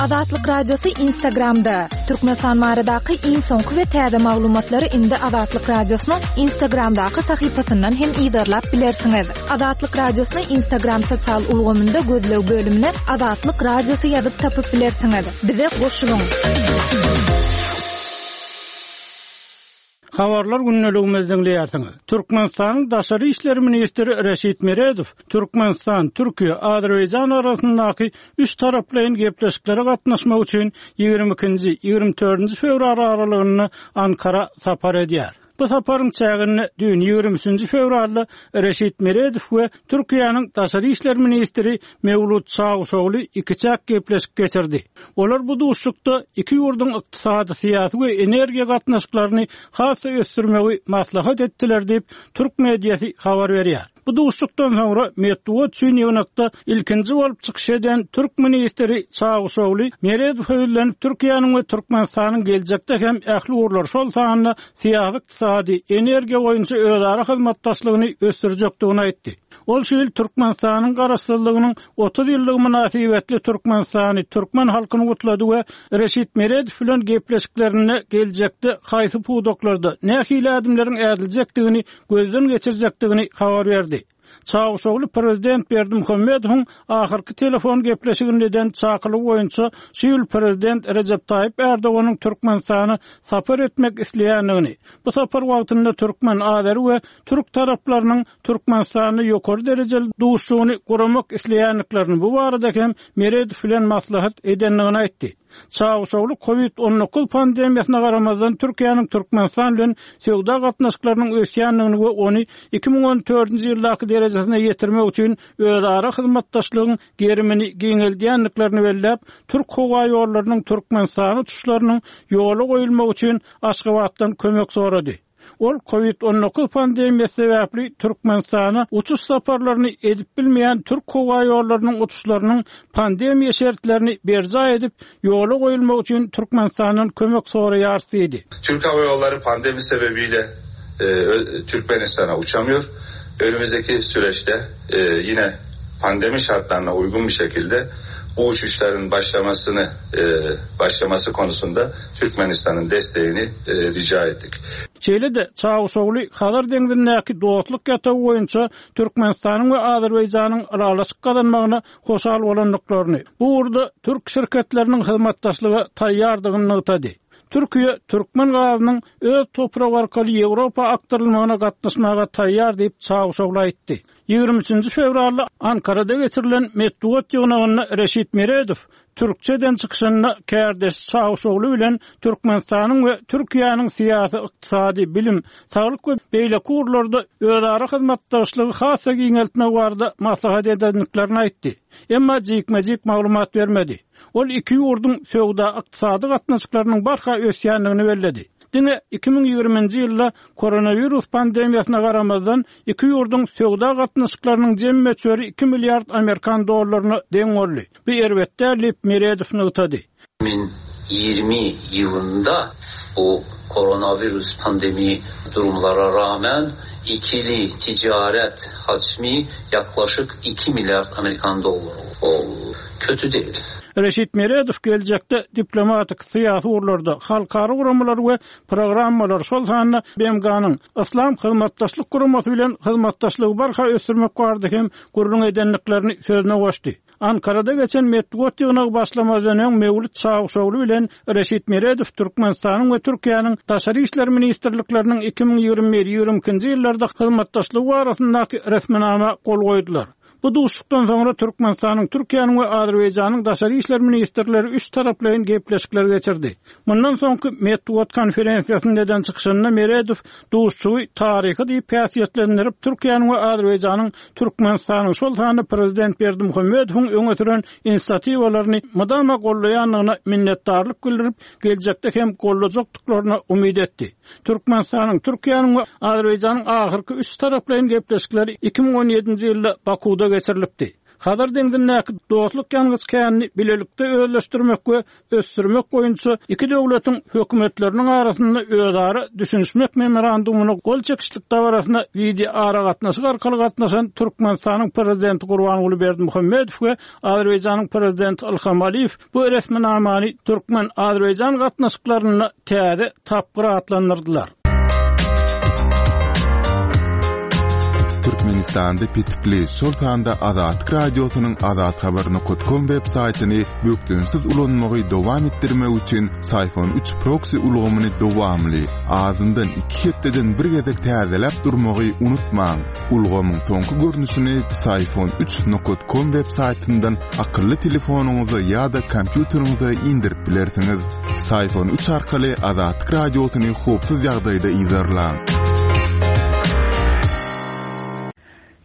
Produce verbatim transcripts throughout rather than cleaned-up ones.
Azatlyk Radiosy Instagramda. Türkmenistan baradaky iň soňky we täze maglumatlary indi Azatlyk Radiosynyň Instagramdaky sahypasyndan hem yzarlap bilersiňiz. Azatlyk Radiosyny Instagram sosial ulgamynda gözleg bölümine Azatlyk Radiosy ýazyp tapyp bilersiňiz. Bize goşulyň. Habarlar gündeligimizi diňleýärsiňiz. Türkmenistanyň Daşary işler ministri Reşit Meredow Türkmenistan, Türkiýe, Azerbaýjan arasyndaky üç taraplaýyn gepleşiklere gatnaşmak üçin ýigrimi ikinji, ýigrimi dördünji fewral aralygynda Ankara sapar edýär. Bu saparyň çäginde düýn ýigrimi üçünji fewralda Reşit Meredow we Türkiýäniň Daşary işler ministri Mewlut Çawuşogly ikiçäk gepleşik geçirdi. Olar bu duşuşykda iki ýurduň ykdysady, syýasy we energiýa gatnaşyklaryny has-da ösdürmegi maslahat etdiler diýip, türk mediasy habar berýär. Bu duşuşykdan soňra metbugat üçin ýygnakda ilkinji bolup çykyş eden türk ministri Çawuşogly Meredowa ýüzlenip, Türkiýäniň we Türkmenistanyň geljekde hem ähli ugurlar, şol sanda syýasy, ykdysady, energiýa boýunça özara hyzmatdaşlygyny ösdürjekdigini aýtdy. Ol şu ýyl Türkmenistanyň Garaşsyzlygynyň otuz ýyllygy mynasybetli Türkmenistany, türkmen halkyny gutlady we Reşit Meredow bilen gepleşiklerinde geljekde haýsy pudaklarda nähili ädimleriň ädiljekdigini gözden geçirjekdigini habar berdi. Çawuşogly prezident Berdimuhamedowyň ahyrky telefon gepleşiginde eden çakylygy boýunça şu ýyl prezident Rejep Taýyp Erdoganyň Türkmenistana sapar etmek isleýändigini, bu sapar wagtynda türkmen, azeri we türk taraplarynyň Türkmenistanda ýokary derejeli duşuşygyny guramak isleýändiklerini, bu barada hem Meredow bilen maslahat edendigini aýtdy. Çawuşogly Covid on dokuz pandemiýasyna garamazdan Türkiýäniň Türkmenistan bilen söwda gatnaşyklarynyň ösýändigini we ony iki müň on dördünji ýyldaky derejesine ýetirmek üçin özara hyzmatdaşlygyň gerimini giňeldýändiklerini belläp, Türk howa ýollarynyň Türkmenistana uçuşlarynyň ýola goýulmagy üçin Aşgabatdan kömek sorady. Ol Covid on dokuz pandemiýasy sebäpli Türkmenistana uçuş saparlaryny edip bilmeýän Türk howa ýollarynyň uçuşlarynyň pandemiýa şertlerini berjaý edip ýola goýulmagy üçin Türkmenistandan kömek soraýar diýdi. Türk Hava Yolları pandemi sebebiyle, e, ö-, Türkmenistan'a uçamıyor. Önümüzdeki süreçte, e, yine pandemi şartlarına uygun bir şekilde bu uçuşların başlamasını, e, başlaması konusunda Türkmenistan'ın desteğini, e, rica ettik. Şeýle-de Çawuşogly Hazar deňzindäki dostluk ýatagy boýunça Türkmenistanyň we Azerbaýjanyň ylalaşyk gazanmagyna hoşal bolandyklaryny, bu ugurda türk şirketleriniň hyzmatdaşlyga taýýardygyny nygtady. Türkiýe türkmen gazynyň öz topragy arkaly Ýewropa akdyrylmagyna gatnaşmaga taýýar diýip Çawuşogly aýtdy. Ýigrimi üçünji fewralda Ankarada geçirilen metbugat ýygnagynda Reşit Meredow türkçeden çykyşynda kärdeş Çawuşogly bilen Türkmenistanyň we Türkiýäniň syýasy, ykdysady, bilim, saglyk we beýleki ugurlarda özara hyzmatdaşlygy has-da giňeltmek barada maslahat edendiklerini aýtdy. Emma jikme-jik maglumat bermedi. Ol iki ýurduň söwda ykdysady gatnaşyklarynyň barha ösýändigini belledi. Diňe iki müň ýigriminji ýylda koronawirus pandemiýasyna garamazdan iki ýurduň söwda gatnaşyklarynyň jem möçberi iki milliard amerikan dollaryna deň boldy. Bu erbet däl diýip Meredow nygtady. iki müň ýigrimi ýylynda bu koronavirus pandemi durumlara rağmen ikili ticaret hacmi yaklaşık iki milyard Amerikan doları oldu. Kötü değil. Reşit Meredow geljekde diplomatik, syýasy ugurlarda halkara guramalar we programmalar, şol sanda B M G-nyň Yslam Hyzmatdaşlyk Guramasy bilen hyzmatdaşlygy barha ösdürmek barada hem gürrüň edendiklerini sözüne goşdy. Ankarada geçen metbugat ýygnagy başlamazdan öň Mewlut Çawuşogly bilen Reşit Meredow Türkmenistanyň we Türkiýäniň Daşary işler ministrlikleriniň iki müň ýigrimi bir ýigrimi ikinji ýyllarda hyzmatdaşlygy barasyndaky resminama gol goýdular. Bu duşuşykdan soňra Türkmenistanyň, Türkiýäniň we Azerbaýjanyň Daşary işler ministrleri üç taraplaýyn gepleşikler geçirdi. Mundan soňky metbugat konferensiýasynda eden çykyşynda Meredow duşuşygy taryhy diýip häsiýetlendirip, Türkiýäniň we Azerbaýjanyň Türkmenistanyň, şol sanda Prezident Berdimuhamedowyň öňe süren inisiatiwalaryny mydama gollaýandygyna minnetdarlyk bildirip, geljekde hem gollajakdyklaryna umyt etdi. Türkmenistanyň, Türkiýäniň we Azerbaýjanyň ahyrky üç taraplaýyn gepleşikleri iki müň on ýedinji ýylda Bakuwda geçirilipdi. Hazar deňzindäki dostluk ýangyç känini bilelikde özleşdirmek we ösdürmek boýunça iki döwletiň hökümetleriniň arasynda özara düşünişmek memorandumyna gol çekişlik dabarasyna wideo aragatnaşyk arkaly gatnaşan Türkmenistanyň prezidenti Gurbanguly Berdimuhamedow we Azerbaýjanyň prezidenti Ilham Aliýew bu resminamany Türkmen-Azerbaýjan gatnaşyklarynda täze tapgyr atlandyrdylar. Türkmenistanda petikli, şol sanda Azatlyk Radiosynyň azathabar nokta com web saýtyny bökdençsiz ulanmagy dowam etdirmek üçin Syfon üç proxy ulgamyny dowamly, azyndan iki hepdeden bir gezek täzeläp durmagy unutmaň. Ulgamyň soňky görnüşini Syfon üç nokta com web saýtyndan akylly telefonyňyza ýa-da kompýuteriňize indirip bilersiňiz. Syfon üç arkaly Azatlyk Radiosyny howpsuz ýagdaýda yzarlaň.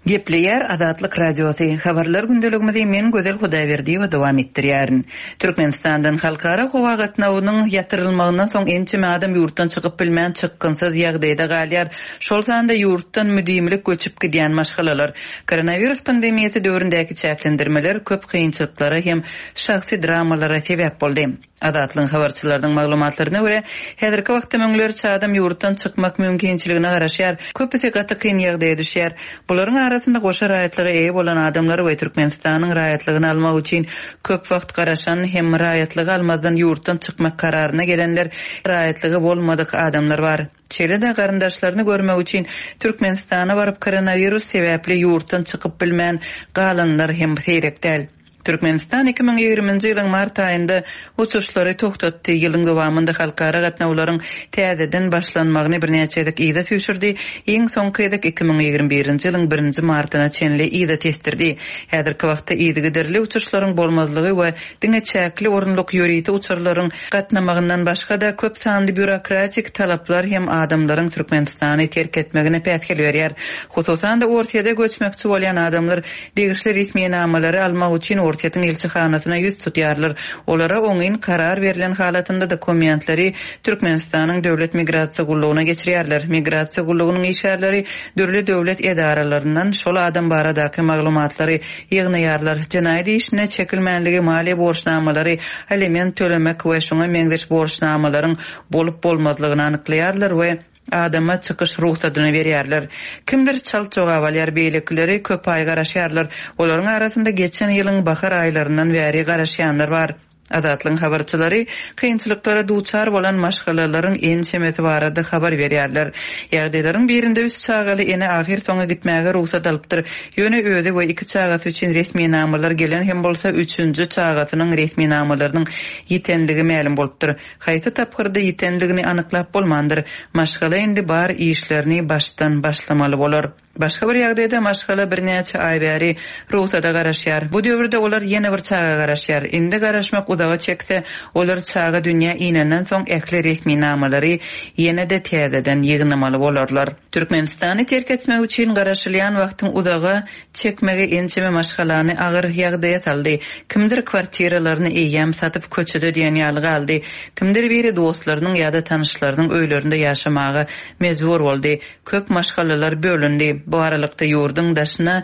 Gepleýär Azatlyk Radiosy. Habarlar gündeligimizi men Gözel Hudaýberdiýewa dowam etdirýärin. Türkmenistandan halkara howa gatnawynyň ýatyrylmagyndan soň ençeme adam ýurtdan çykyp bilmän çykgynsyz ýagdaýda galýar. Şol sanda ýurtdan müdimilik göçüp gidýän maşgalalar. Koronawirus pandemiýasy döwründäki çäklendirmeler köp kynçylyklara hem şahsy dramalara sebäp boldy. Azatlygyň habarçylarynyň maglumatlaryna görä, häzirki wagtda müňlerçe adam ýurtdan çykmak mümkinçiligine garaşýar. Köpüsi gaty kyn ýagdaýa düşýär. Bularyň arasynda goşa raýatlyga eýe bolan adamlar we Türkmenistanyň raýatlygyny almak üçin köp wagt garaşan hem raýatlygy almazdan ýurtdan çykmak kararyna gelenler, raýatlygy bolmadyk adamlar bar. Şeýle-de garyndaşlaryny görmek üçin Türkmenistana baryp koronawirus sebäpli ýurtdan çykyp bilmän galanlar hem seýrek däl. Türkmenistan iki müň ýigriminji ýylyň mart aýynda uçuşlary toxtatdy. Ýylyň dowamynda halkara gatnawlaryň täzeden başlanmagyny birnäçe gezek yza süýşürdi. Iň soňky gezek iki müň ýigrimi birinji ýylyň birinji martyna çenli yza tesdirdi. Häzirki wagtda yzygiderli uçuşlaryň bolmazlygy we diňe çäkli orunlyk ýörite uçarlaryň gatnamagyndan başga-da köp sanly býurokratik talaplar hem adamlaryň Türkmenistany terk etmegine päsgel berýär. Hususan-da Orsýete göçmekçi bolýan adamlar degişli resminamalary almak üçin Orsýetiň ilçihanasyna ýüz tutýarlar. Olara oňyn karar berlen halatynda dokumentleri Türkmenistanyň Döwlet Migrasiýa Gullugyna geçirýärler. Migrasiýa Gullugynyň işgärleri dürli döwlet edaralaryndan şol adam baradaky maglumatlary ýygnaýarlar. Jenaýat işine çekilmänligi, maliýe borçnamalary, aliment tölemek we şoňa meňzeş borçnamalaryň bolup bolmazlygyny anyklaýarlar we adama çykyş ruhsadyny berýärler. Kimdir çalt jogap alýar, beýlekileri köp aý garaşýarlar. Olaryň arasynda geçen ýylyň bahar aýlaryndan bäri garaşýanlar bar. Azatlygyň habarçylary kynçylyklara duçar bolan maşgalalaryň ençemesi barada habar berýärler. Ýagdaýlaryň birinde üç çagaly ene ahyr soňa gitmäge ruhsat alypdyr. Ýöne özi we iki çagasy üçin resminamalar gelen hem bolsa üçünji çagasynyň resminamalarynyň ýitenligi mälim bolupdyr. Haýsy tapgyrda ýitenligini anyklap bolmandyr. Maşgala indi bar işlerini başdan başlamaly bolar. Başga bir ýagdaýda maşgala birnäçe aý bäri ruhsada garaşýar. Bu döwürde olar ýene bir çaga garaşýar. Indi garaşmak uzaga çekse, olar çaga dünýä inenden soň ähli resminamalary ýene-de täzeden ýygnamaly bolarlar. Türkmenistany terk etmek üçin garaşylýan wagtyň uzaga çekmegi ençeme maşgalany agyr ýagdaýa saldy. Kimdir kwartiralaryny eýýäm satyp köçede diýen ýaly galdy. Kimdir biri dostlarynyň ýa-da tanyşlarynyň öýlerinde ýaşamaga mejbur boldy. Köp maşgalalar bölündi. Bu aralykda ýurduň daşyna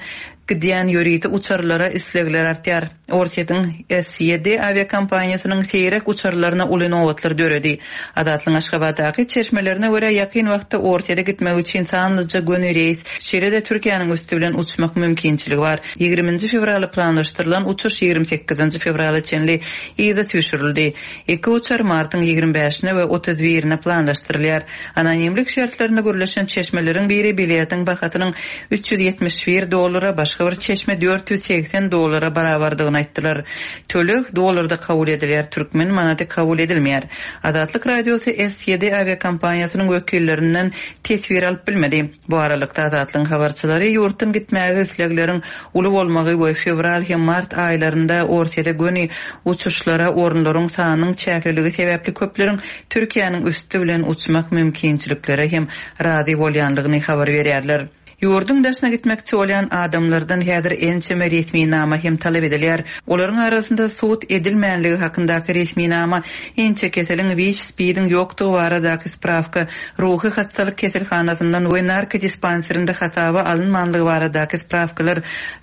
gidýän ýörite uçarlara islegler artýar. Orsýetiň S ýedi awiakompaniýasynyň seýrek uçarlaryna uly nobatlar döredi. Azatlygyň Aşgabatdaky çeşmelerine görä ýakyn wagtda Orsýete gitmek üçin sanlyja göni reýs, şeýle-de Türkiýäniň üstü bilen uçmak mümkinçiligi bar. Ýigriminji fewraly planlaşdyrylan uçuş ýigrimi sekizinji fewrala çenli yza süýşürildi. Iki uçar martyň ýigrimi bäşine we otuz birine planlaşdyrylýar. Anonimlik şertlerinde gürleşen çeşmeleriň biri biletiň bahasynyň üç ýüz ýetmiş bir dollara, başga bir çeşme dört ýüz seksen dollara barabardygyny aýtdylar. Töleg dollarda kabul edilýär, türkmen manady kabul edilmeýär. Azatlyk Radiosy S ýedi awiakompaniýasynyň wekillerinden teswir alyp bilmedi. Bu aralykda Azatlygyň habarçylary ýurtdan gitmäge islegleriň uly bolmagy we fewral hem mart aýlarynda Orsýete göni uçuşlara orunlaryň sanynyň çäkliligi sebäpli köpleriň Türkiýäniň üstü bilen uçmak mümkinçiliklere hem razy bolýanlygyny habar berýärler. Ýurduň daşyna gitmekçi bolýan adamlardan häzir ençeme resminama hem talap edilýär. Olaryň arasynda sud edilmänligi hakyndaky resminama, inçekeseliň WIÇ-SPID-iň ýokdugy baradaky spravka, ruhy hastalyk keselhanasyndan we narkodispanserinde hasaba alynmanlygy baradaky spravkalar,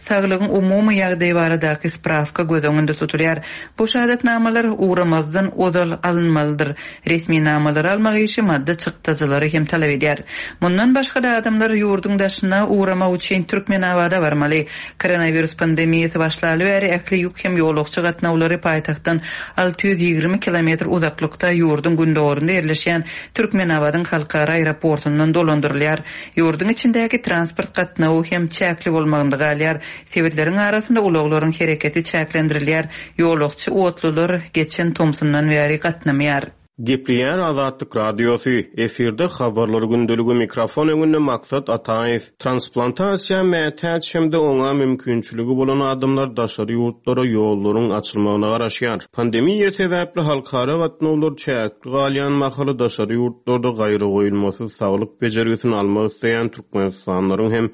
saglygyň umumy ýagdaýy baradaky spravka göz öňünde tutulýar. Bu şahadatnamalar ugramazdan ozal alynmalydyr. Resminamalary almak işi maddy çykdajylary hem talap edýär. Mundan başga-da adamlar ýurduň daşyna ugramak üçin Türkmenabada barmaly. Koronavirus pandemiýasy başlaly bäri ähli ýük hem ýolagçy gatnawlary paýtagtdan alty ýüz ýigrimi kilometr uzaklykda ýurduň gündogarynda ýerleşýän Türkmenabadyň halkara aeroportundan dolandyrylýar. Ýurduň içindäki transport gatnawy hem çäkli bolmagynda galýar. Sebitleriň arasynda ulaglaryň hereketi çäklendirilýär. Ýolagçy otlular geçen tomsundan bäri gatnamaýar. Gepleýär Azatlyk Radiosy, efirde habarlar gündeligi, mikrofon öňünde Maksat Ataýew. Transplantasiýa mätäç hem-de oňa mümkinçiligi bolan adamlar daşary ýurtlara ýollaryň açylmagyna garaşýar. Pandemiýa sebäpli halkara gatnawlar çäkli galýan mahaly daşary ýurtlarda gaýry goýulmasyz saglyk bejergisini almak isleýän Türkmenistanlylaryň hem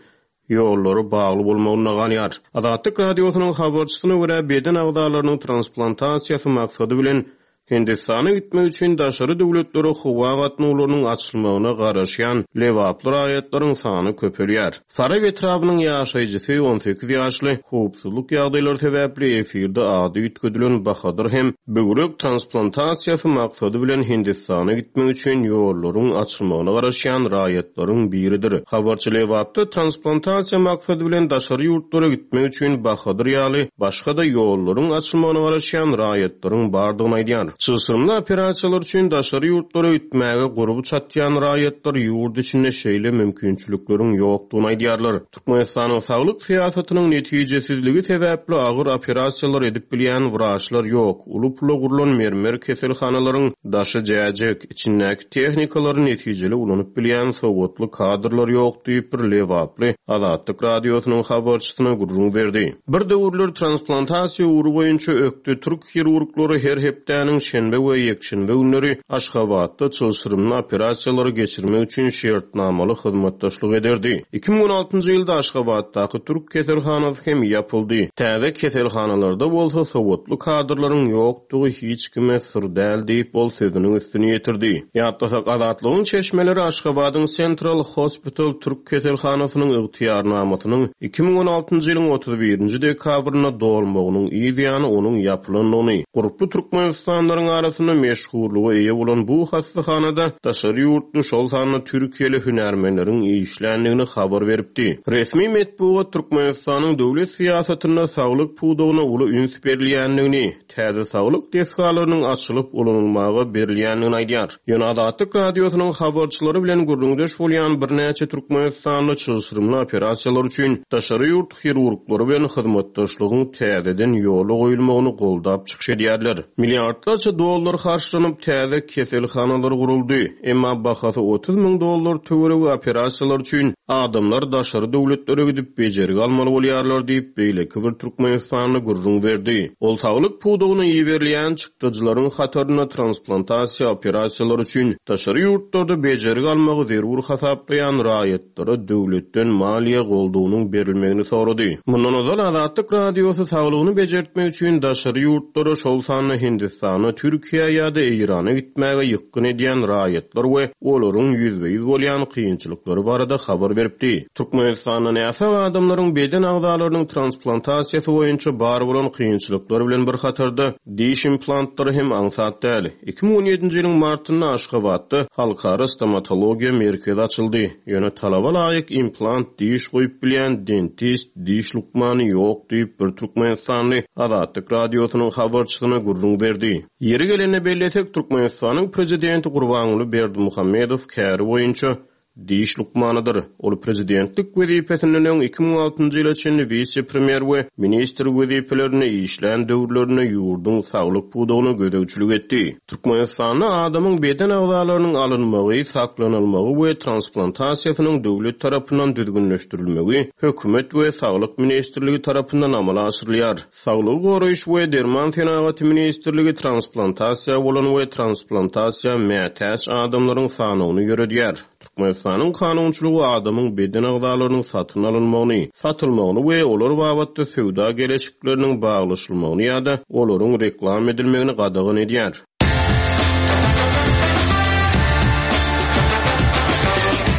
ýollary bagly bolmagyna galýar. Azatlyk Radiosynyň habarçysyna görä beden agzalarynyň transplantasiýasy maksady bilen Hindistana gitmek üçin daşary döwletlere howa gatnawlarynyň açylmagyna garaşýan Lebaply raýatlaryň sany köpelýär. Farap etrabynyň ýaşaýjysy on sekiz ýaşly howpsuzlyk ýagdaýlary sebäpli efirde ady üýtgedilen Bahadyr hem böwrek transplantasiýasy maksady bilen Hindistana gitmek üçin ýollaryň açylmagyna garaşýan raýatlaryň biridir. Habarçy Lebapda transplantasiýa maksady bilen daşary ýurtlara gitmek üçin Bahadyr ýaly başga-da ýollaryň açylmagyna garaşýan raýatlaryň bardygyny aýdýar. Çylşyrymly operasiýalar üçin daşary ýurtlara gitmäge gurby çatýan raýatlar ýurt içinde şeýle mümkinçilikleriň ýokdugyny aýdýarlar. Türkmenistanyň saglyk syýasatynyň netijesizligi sebäpli agyr operasiýalar edip bilýän wraçlar ýok. Uly pula gurlan mermer keselhanalaryň daşy jäjek, içindäki tehnikalary netijeli ulanyp bilýän sowatly kadrlar ýok diýip bir Lebaply Azatlyk Radiosynyň habarçysyna gürrüň berdi. Bir döwürler transplantasiýa ugry boýunça ökde türk hirurglary her hepdäniň şenbe we ýekşenbe günleri Aşgabatda çylşyrymly operasiýalary geçirmek üçin şertnamaly hyzmatdaşlyk ederdi. iki müň on altynjy ýylda Aşgabatdaky türk keselhanasy hem ýapyldy. Täze keselhanalarda bolsa sowatly kadrlaryň ýokdugy hiç kime syr däl diýip ol sözüniň üstüni ýetirdi. Ýatlasak Azatlygyň çeşmeleri Aşgabadyň Central Hospital türk keselhanasynyň ygtyýarnamasynyň iki müň on altynjy ýylyň otuz birinji dekabrynda dolmagynyň yz ýany onuň ýapylandygyny, gurply Türkmenistanlaryň arasynda meşhurlyga eýe bolan bu hastahanada daşary ýurtly, şol sanda Türkiýeli hünärmenleriň işländigini habar beripdi. Resmi metbugat Türkmenistanyň döwlet syýasatynda saglyk pudagyna uly üns berilýändigini, täze saglyk desgalarynyň açylyp ulanylmaga berilýändigini aýdýar. Ýöne Azatlyk Radiosynyň habarçylary bilen gürrüňdeş bolýan birnäçe Türkmenistanly çylşyrymly operasiýalar üçin daşary ýurt hirurglary bilen hyzmatdaşlygyň täzeden ýola goýulmagyny goldap çykyş edýärler. Milliardlarça dollar harçlanyp täze keselhanalar guruldy. Emma bahasy otuz müň dollar töweregi operasiýalar üçin adamlar daşary döwletlere gidip bejergi almaly bolýarlar diýip beýleki bir Türkmenistanly gürrüň berdi. Ol saglyk pudagyna iberilýän çykdajylaryň hatarynda transplantasiýa operasiýalary üçin daşary ýurtlarda bejergi almagy zerur hasaplaýan raýatlara döwletden maliýe goldawynyň berilmegini sorady. Mundan ozal Azatlyk Radiosy saglygyny bejertmek üçin daşary ýurtlara, şol sanda Hindistana, Türkiýä ýa-da Eýrana gitmäge ýykgyn edýän raýatlar we olaryň ýüzbe-ýüz bolýan kynçylyklary barada habar beripdi. Türkmenistanda näsag adamlaryň beden agzalarynyň transplantasiýasy boýunça bar bolan kynçylyklar bilen bir hatarda diş implantlary hem aňsat däl. iki müň on ýedinji ýylyň martynda Aşgabatda Halkara stomatologiýa merkezi açyldy. Ýöne talaba laýyk implant diş goýup bilýän dentist, diş lukmany ýok diýip bir Türkmenistanly Azatlyk Radiosynyň habarçysyna gürrüň berdi. Ýeri gelende bellesek, Türkmenistanyň prezidenti Gurbanguly Berdimuhamedow käri boýunça diş lukmanydyr. Ol prezidentlik wezipesinden öň iki müň altynjy ýyla çenli wise-premýer we ministr wezipelerinde işlän döwürlerinde ýurduň saglyk pudagyna gözegçilik etdi. Türkmenistanda adamyň beden agzalarynyň alynmagy, saklanylmagy we transplantasiýasynyň döwlet tarapyndan düzgünleşdirilmegi hökümet we saglyk ministrligi tarapyndan amala aşyrylýar. Saglygy goraýyş we derman senagaty ministrligi transplantasiýa bolan we transplantasiýa mätäç adamlaryň sanyny ýöredýär. Türkmenistanyň Türkmenistanyň kanunçylygy adamyň beden agzalarynyň satyn alynmagyny, satylmagyny we olar babatda söwda geleşikleriniň baglaşylmagyny ýa-da olaryň reklam edilmegini gadagan edýär.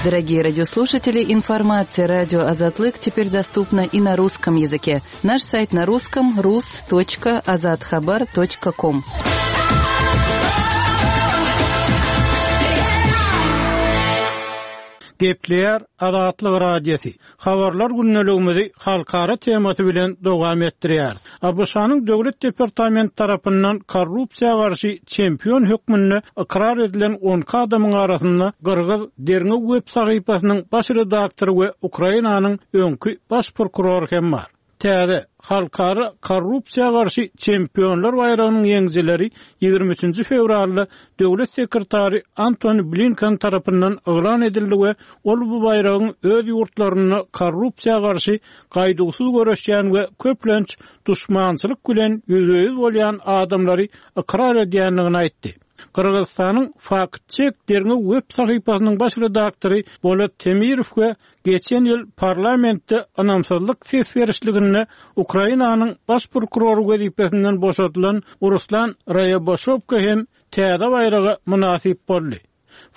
Дорогие радиослушатели, информация радио Азатлык теперь доступна и на русском языке. Наш сайт на русском rus.azathabar.com. Gepleýär Azatlyk Radiosy. Habarlar gündeligimizi halkara temasy bilen dowam etdirýär. ABŞ-nyň Döwlet Departamenti tarapyndan korrupsiýa garşy çempion hökmünde ykrar edilen on iki adamyň arasynda Gyrgyz derňew web sahypasynyň baş redaktory we Ukrainanyň öňki baş prokurory hem bar. Täze halkara korrupsiýa garşy çempionlar baýragynyň ýeňijileri ýigrimi üçünji fewralda Döwlet sekretary Antony Blinken tarapyndan yglan edildi we ol bu baýragyň öz ýurtlarynda korrupsiýa garşy gaýduwsyz göreşýän we köplenç duşmançylyk bilen ýüzbe-ýüz bolýan adamlary ykrar edýändigini aýtdy. Gyrgyzystanyň Fact-Check derňew web sahypasynyň baş redaktory Bolat Temirow we geçen ýyl parlamentde ynamsyzlyk ses berişliginde Ukrainanyň baş prokurory wezipesinden boşadylan Ruslan Raýaboşowka hem täze baýraga mynasyp boldy.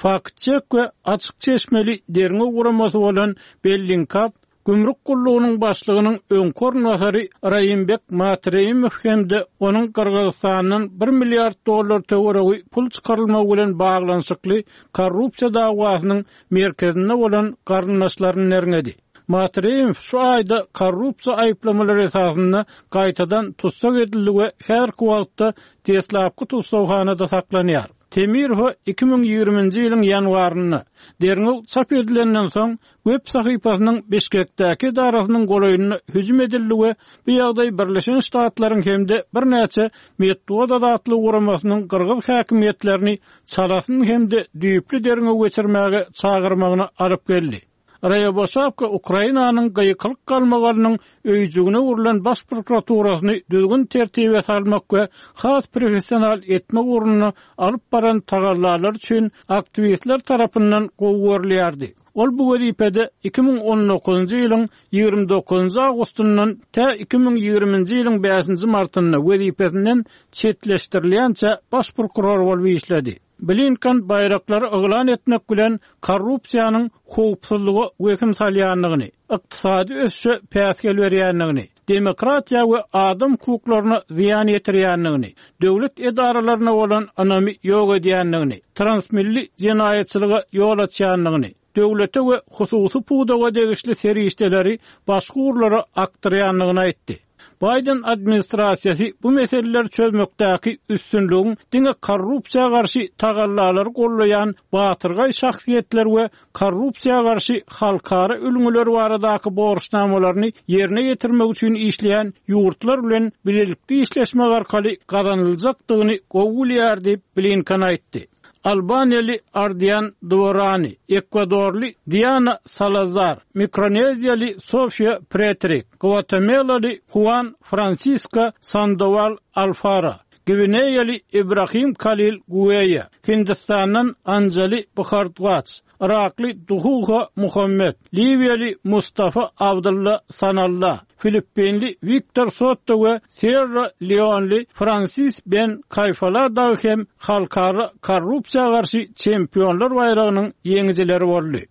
Fact-Check we açyk çeşmeli derňew guramasy bolan Bellingcat Gümrük gullugynyň başlygynyň öňki orunbasary Raýimbek Matreýimow hem-de onuň Gyrgyzystandan bir milliard dollar töweregi pul çykarylmagy bilen baglanyşykly korrupsiýa dawasynyň merkezinde bolan garyndaşlaryny derňedi. Matreýimow şu aýda korrupsiýa aýyplamalary esasynda gaýtadan tussag edildi we häzirki wagtda deslapky tussaghanada saklanýar. Temirow iki müň ýigriminji ýylyň ýanwarynda derňew çap edilenden soň web sahypasynyň Bişkekdäki edarasynyň golaýynda hüjüm edildi we bu ýagdaý Birleşen Ştatlaryň hem-de birnäçe metbugat azatlygy guramasynyň gyrgyz häkimiýetlerini çalasyn hem-de düýpli derňew geçirmäge çagyrmagyna alyp geldi. Raýaboşawka Ukrainanyň gyýkylyk galmagalynyň öýjügine urlan baş prokuraturasyny düzgün tertibe salmak we has professional etmek ugrunda alyp baran tagallalar üçin aktiwistler tarapyndan gowy görülýärdi. Ol bu wezipede iki müň on dokuzunjy ýylyň ýigrimi dokuzunjy awgustyndan tä iki müň ýigriminji ýylyň bäşinji martynda wezipesinden çetleşdirilýänçä baş prokuror bolup işledi. Blinken baýraklary yglan etmek bilen korrupsiýanyň howpsuzlyga wehim salýandygyny, ykdysady ösüşe päsgel berýändigini, demokratiýa we adam hukuklaryna zyýan ýetirýändigini, döwlet edaralaryna bolan ynamy ýok edýändigini, transmilli jenaýatçylyga ýol açýandygyny, döwlete we hususy pudaga degişli serişdeleri başga ugurlara akdyrýandygyny aýtdy. Biden administrasiýasy bu meseleleri çözmekdäki üstünligiň diňe korrupsiýa garşy tagallalary gollaýan batyrgaý şahsyýetler we korrupsiýa garşy halkara ülňüleri baradaky borçnamalaryny ýerine ýetirmek üçin işleýän ýurtlar bilen bilelikde işleşmek arkaly gazanyljakdygyny gowy bilýär diýip Blinken aýtdy. Albaniýaly Ardian Dvorani, Ekvadorly Diana Salazar, Mikroneziýaly Sofia Pretrik, Guatemalaly Juan Francisco Sandoval Alfara, Gwineýaly Ibrahim Khalil Gueya, Hindistandan Anjali Bhardwaj, Irakly Duhuha Muhammed, Liwiýaly Mustafa Abdullah Sanalla, Filippinli Victor Soto we Sierra Leoneli Francis Ben Kayfala dagy hem halkara korrupsiýa garşy çempionlar baýragynyň ýeňijileri boldy.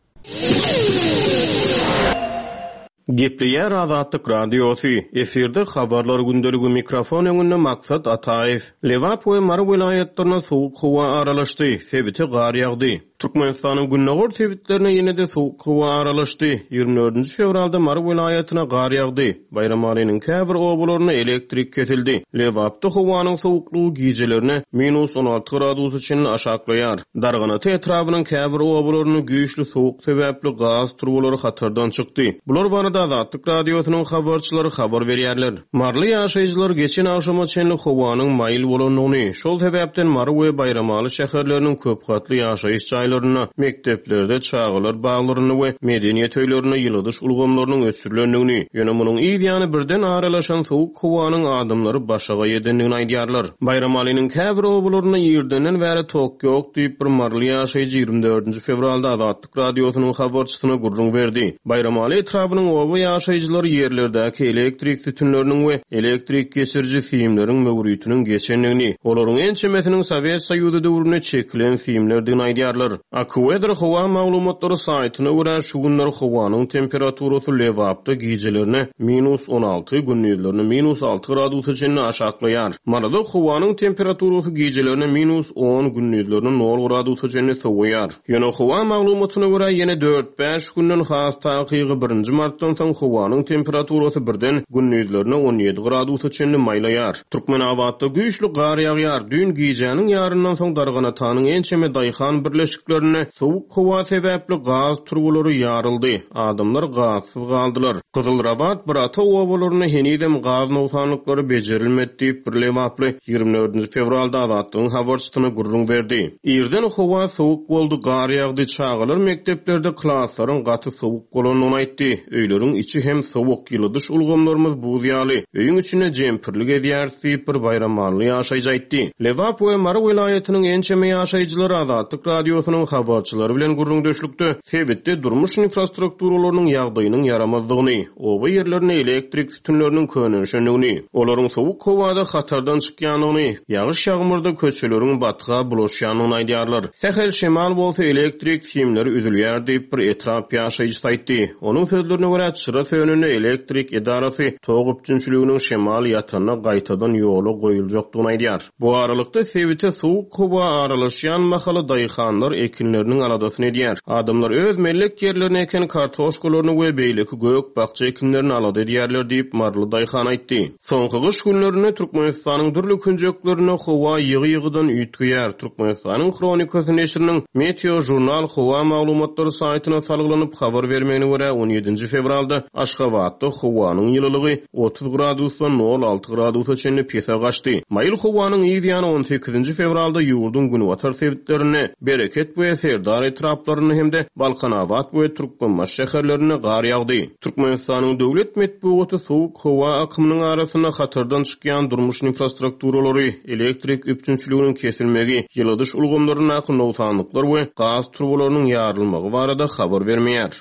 Gepleýär Azatlyk Radiosy, efirde habarlar gündeligi mikrofon öňünde Maksat Ataýew. Lebap we Mary welaýatlaryna soğuk howa aralaşdy, sebite gar ýagdy. Türkmenistanyň gündogar sebitlerine ýene-de soğuk howa aralaşdy. Ýigrimi dördünji fewralda Mary welaýatyna gar ýagdy. Baýramalynyň käbir obalarynda elektrik kesildi. Lebapda howanyň soğuklygy gijelerine minus on alty gradusa çenli aşaklaýar. Darganata etrabynyň käbir obalarynda güýçli soğuk sebäpli gaz turbalary hatardan çykdy. Bular barada Azatlyk Radiosynyň habarçylary habar berýärler. Marly ýaşaýjylar geçen agşama çenli howanyň maýyl bolandygyny, şol sebäpden Mary we Baýramaly şäherleriniň köp gatly ýaşaýyş jaýlarynda jaýlarynda, mekdeplerde, çagalar baglarynda we medeniýet öýlerinde ýyladyş ulgamlarynyň öçürilendigini, ýöne munuň yz ýany birden aralaşan sowuk howanyň adamlary başagaý edendigini aýdýarlar. Baýramalynyň käbir obalarynda ýerdenden bäri tok ýok diýip bir maryly ýaşaýjy ýigrimi dördünji fewralda Azatlyk Radiosynyň habarçysyna gürrüň berdi. Baýramaly etrabynyň oba ýaşaýjylary ýerlerdäki elektrik sütünleriniň we elektrik geçiriji simleriň möwritiniň geçendigini, olaryň ençemesiniň Sowet Soýuzy döwründe çekilen simlerdigini aýdýarlar. AccuWeather howa maglumatlary saýtyna görä şu günler howanyň temperaturasy Lebapda gijelerine minus on alty, gündizlerine minus alty gradusa çenli aşaklaýar. Maryda howanyň temperaturasy gijelerine minus on, gündizlerine nol gradusa çenli sowaýar. Ýöne howa maglumatyna görä ýene dört bäş günden has takygy birinji martdan soň howanyň temperaturasy birden gündizlerine on ýedi gradusa çenli maýlaýar. Türkmenabatda güýçli gar ýagýar. Düýn gijäniň ýaryndan soň Darganatanyň ençeme daýhan birleşiklerinde sowuk howa sebäpli gaz turbalary ýaryldy. Adamlar gazsyz galdylar. Gyzylrabat Birata obalarynda henizem gaz nogsanlyklary bejerilmedi diýip bir lebaply ýigrimi dördünji fewralda Azatlygyň habarçysyna gürrüň berdi. Irden howa sowuk boldy, gar ýagdy, çagalar mekdeplerde klaslaryň gaty sowuk bolandygyny aýtdy. Öýleriň içi hem sowuk, ýyladyş ulgamlarymyz buz ýaly. Öýüň içinde jempirlik edýär diýip bir baýramally ýaşaýjy aýtdy. Lebap we Mary welaýatynyň ençeme ýaşaýjylary Azatlyk Radiosynyň habarçylary bilen gürrüňdeşlikde sebitde durmuş infrastrukturalarynyň ýagdaýynyň ýaramazdygyny, oba ýerlerinde elektrik sütünleriniň könelişendigini, olaryň sowuk howada hatardan çykýandygyny, ýagyş ýagmyrda köçeleriň batga bulaşýandygyny aýdýarlar. Sähel şemal bolsa elektrik simleri üzülýär diýip bir etrap ýaşaýjysy aýtdy. Onuň sözlerine görä çyra sönende elektrik edarasy tok üpjünçiliginiň şemal ýatanda gaýtadan ýola goýuljakdygyny aýdýar. Bu aralykda sebite sowuk howa aralaşýan mahaly daýhanlar ekinleriniň aladasyny edýär. Adamlar öz mellek ýerlerine eken kartoşkalaryny we beýleki gök bakja ekinlerini alada edýärler diýip maryly daýhan aýtdy. Soňky gyş günlerinde Türkmenistanyň dürli künjeklerinde howa ýygy-ýygydan üýtgeýär. Türkmenistanyň Hronikasy neşiriniň Meteo Jurnal howa maglumatlary saýtyna salgylanyp habar bermegine görä on ýedinji fewralda Aşgabatda howanyň ýylylygy otuz gradusdan nol alty gradusa çenli pese gaçdy. Maýyl howanyň yz ýany on sekizinji fewralda ýurduň günbatar sebitlerinde Bereket we Serdar etraplarynda hem-de Balkanabat we Türkmenbaşy şäherlerinde gar ýagdy. Türkmenistanyň döwlet metbugaty sowuk howa akymynyň arasynda hatardan çykýan durmuş infrastrukturalary, elektrik üpjünçiliginiň kesilmegi, ýyladyş ulgamlaryndaky nogsanlyklar we gaz turbalarynyň ýarylmagy barada habar bermeýär.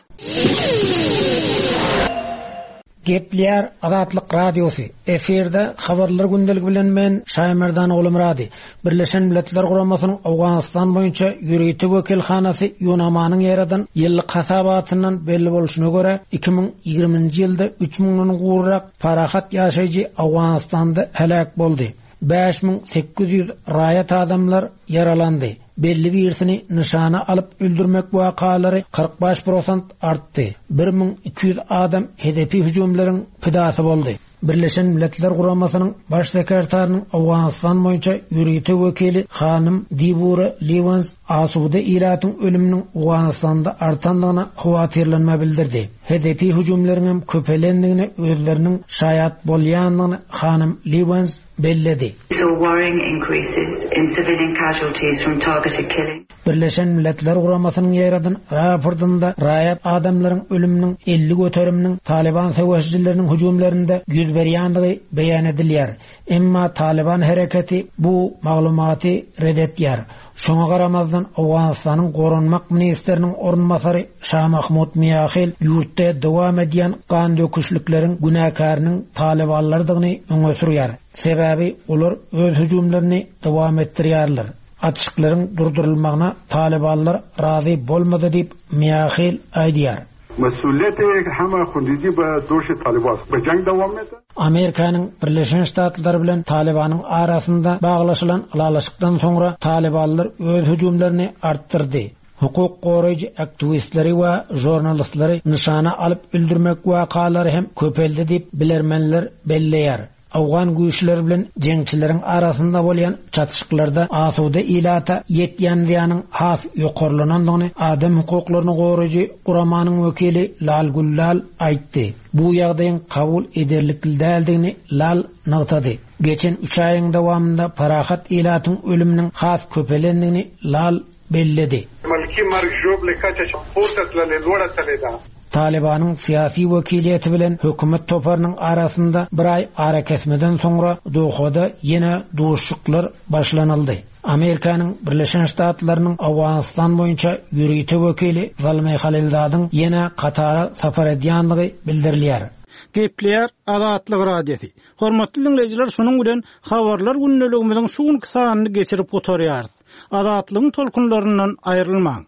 Gepler Azatlyk Radiosy efirde habarlar gündeligi bilen men Şaýmerdan Oglumyrady. Birleşen Milletler Guramasynyň Owganystan boýunça ýörite wekilhanasy Ýunamanyň ýeradan ýyllyk hasabatyndan belli bolşuna görä iki müň ýigriminji ýylda üç müňden gowrak parahat ýaşaýjy Owganystanda heläk boldy. Bäş müň sekiz ýüz raýat adamlar ýaralandy. Belli birisini nyşana alyp öldürmek wakalary kyrk bäş prosent artdy. Bir müň iki ýüz adam hedefi hüjümleriň pidasy boldy. Birleşen Milletler Guramasynyň baş sekretarynyň Owganystan boýunça ýörite wekili Hanym Dibura Liwans asuda ilatyň ölüminiň Owganystanda artandygyna howatyrlanma bildirdi. Hedefi hüjümleriň hem köpelendigine özleriniň şaýat bolýandygyny Hanym Liwans belledi. Saw worrying increases in civilian casualties from targeted killing. Birleşen Milletler Guramasynyň ýeradan raportynda raýat adamlaryň ölüminiň elli göteriminiň Taliban söweşijileriniň hüjümlerinde ýüz berýändigi beýan edilýär. Emma Taliban hereketi bu maglumaty red etýär. Şoňa garamazdan Owganystanyň goranmak ministriniň orunbasary Şah Mahmud Miahil ýurtda dowam edýän gan döküşlikleriň günäkäriniň Talibanlardygyny öňe sürýär. Sebäbi olar öz hüjümlerini dowam etdirýärler. Açyklaryň durdurylmagyna Talibanlar razy bolmady diýip Miahil aýdýar. Mesuliyeti hema khundizi ba doşi Taliban ba jang dowam eder. Amerikanyň Birleşen Ştatlary bilen Talibanyň arasynda baglaşylan ylalaşykdan soňra Talibanlar öz hüjümlerini artdyrdy. Hukuk goraýjy aktiwistleri we jurnalistleri nyşana alyp öldürmek wakalary hem köpeldi diýip bilermenler belleýär. Awgan güýçleri bilen jeňçileriň arasynda bolýan çatışyklarda asuda ilata ýetýän zyýanyň has ýokarlanandygyny adam hukuklaryny goraýjy guramanyň wekili Lal Gullal aýtdy. Bu ýagdaýyň kabul ederlikli däldigini Lal nygtady. Geçen üç aýyň dowamynda parahat ilatyň ölüminiň has köpelendigini Lal belledi. ملکي مرګ ژوبلې کچه چې پورته تللې لوړه تللې ده. Talybanyň syýasy wekiliýeti bilen hökümet toparynyň arasynda bir aý arakesmeden soňra Dohada ýene duşuşyklar başlanyldy. Amerikanyň Birleşen Ştatlarynyň Owganystan boýunça ýörite wekili Zalmay Halilzadyň ýene Katara sapar edýänligi bildirilýär. Gepleýär Azatlyk Radiosy. Hormatly dinleýjiler, şunuň bilen habarlar gündeligimiziň şu günki sanyny geçirip gutarýarys. Azatlygyň tolkunlaryndan aýrylmaň.